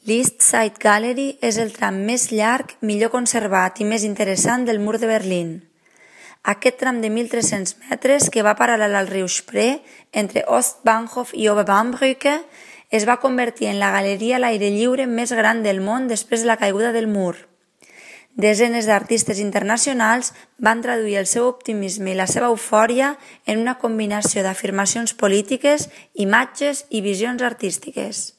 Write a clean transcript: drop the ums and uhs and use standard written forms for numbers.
L'East Side Gallery és el tram més llarg, millor conservat i més interessant del mur de Berlín. Aquest tram de 1.300 metres, que va paral·lel al riu Spree, entre Ostbahnhof i Oberbaumbrücke, es va convertir en la galeria a l'aire lliure més gran del món després de la caiguda del mur. Desenes d'artistes internacionals van traduir el seu optimisme i la seva eufòria en una combinació d'afirmacions polítiques, imatges i visions artístiques.